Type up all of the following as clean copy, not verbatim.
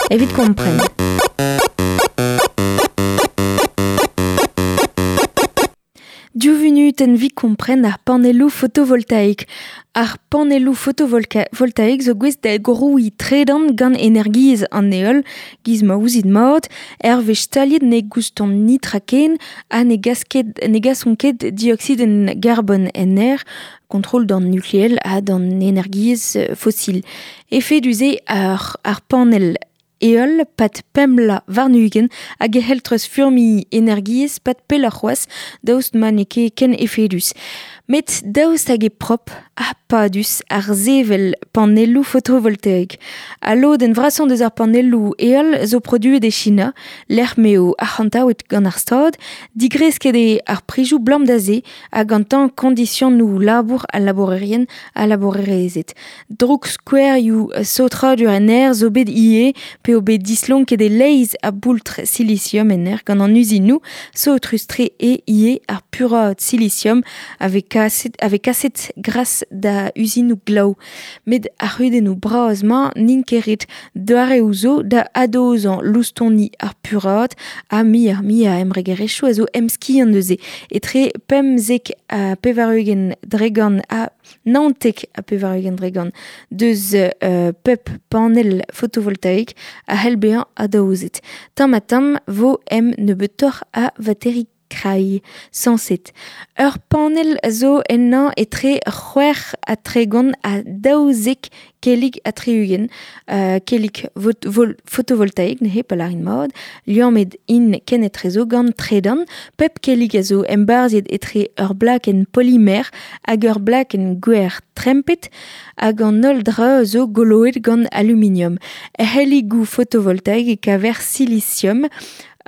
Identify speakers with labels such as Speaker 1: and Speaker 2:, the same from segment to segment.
Speaker 1: Evit kompren. Div vunutenn 'vit kompren ar panelloù fotovoltaek. Ar panelloù fotovoltaek zo gouest da grouiñ tredan gant energiezh an heol, giz ma ouzit mat, hervez staliet ne goustont netra ken ha ne gas ket ne gasont ket dioksidenn garbon en aer, kontrol d'an nukleel ha d'an energiezh fosil. Efedus eo ar, ar panell Heol 'pad pemp vloaz warn-ugent hag e c'hell treuzfurmiñ energiezh 'pad pelloc'h c'hoazh daoust ma n'eo ket ken efedus. Met daoust hag eo prop ha padus ar sevel panelloù fotovoltaek? Al lodenn vrasañ deus ar panelloù heol zo produet e China, lec'h m'eo arc'hantaouet gant ar Stad. Digresket eo ar prizioù 'blam da se ha gantañ kondisionoù labour al labourerien ha labourerezed. Droukskouerioù saotradur en aer zo bet ivez p'eo bet dislonket e-leizh a boultr silisium en aer gant an uzinoù. Saotrus-tre eo ivez ar puraat silisium a vez kaset, a vez kaset gras da uzinoù glaou. Met ar c'hudennoù bras-mañ n'int ket ret. Doareoù zo da adozañ loustoni ar puraat ha muioc'h-mui a embregerezhioù a zo emskiant neuze. Etre 95% ha 99% deus pep panell fotovoltaek a c'hell bezañ adaozet. Tamm-ha-tamm 'vo em nebeutoc'h a vateri krai, sañset. Ur panell zo ennañ etre 36 ha 12 kellig ha 60, kellig fotovoltaek neuze pa lârin mat, liammet int kenetrezo gant tredan. Pep kellig a zo embarzhiet etre ur blakenn polimer hag ur blakenn gwer trempet hag an holl dra zo goloet gant aluminium. Er c'helligoù fotovoltaek e kaver silisium,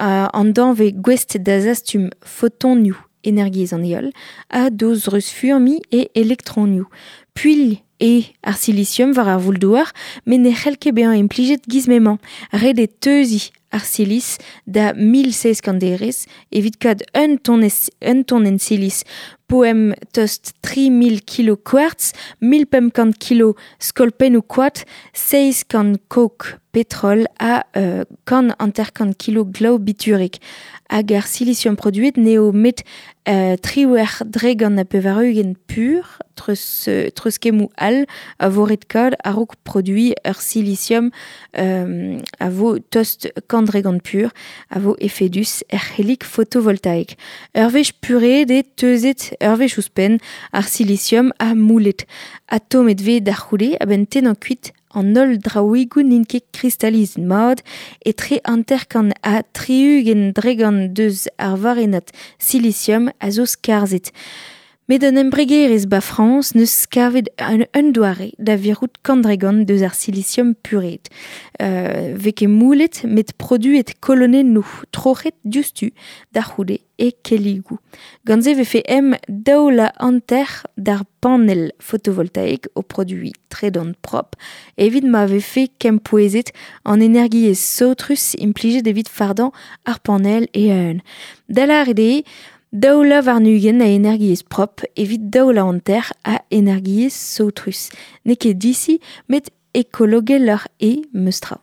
Speaker 1: an danvez gouest da zastum fotonioù energiezh an heol ha d'o zreuzfurmiñ e elektronioù. Puilh eo ar silisium war ar voul-douar met ne c'hell ket bezañ implijet giz m'emañ. Ret eo teuziñ ar silis da 1700 derez evit kaout un tonez, un tonenn silis poem tost 3000 kilo kwartz, 1500 kilo skolpennoù koad, 700 kok petrol ha 150 kilo glaou biturek. Hag ar silisium produet n'eo met 98% pur, treuz, treuzkemmoù all a vo ret kaout a-raok produiñ ur silisium a vo tost 100% pur, a vo efedus er c'hellig fotovoltaek. Ur wech pureet eo teuzet ur wech ouzhpenn ar silisium ha moulet. Atomet 'vez da c'houde a-benn tennañ kuit an holl draoùigoù n'int ket kristalizet mat, etre 50 ha 60% deus ar varrennad silisium a zo skarzhet. Met un embregerezh 'ba Frañs 'neus kavet un doare da virout 100% deus ar silisium pureet. 'Vez ket moulet met produet kolonennoù troc'het diouzhtu da c'houde e kelligoù. Gant se 'vefe em 2.5 d'ar panell fotovoltaek o produiñ tredan prop evit ma vefe kempouezet an energiezh saotrus implijet evit fardañ ar panell e-unan. Da lâret eo 22% a energiezh prop evit 2.5 a energiezh saotrus. N'eo ket disi met ekologeloc'h eo meus tra.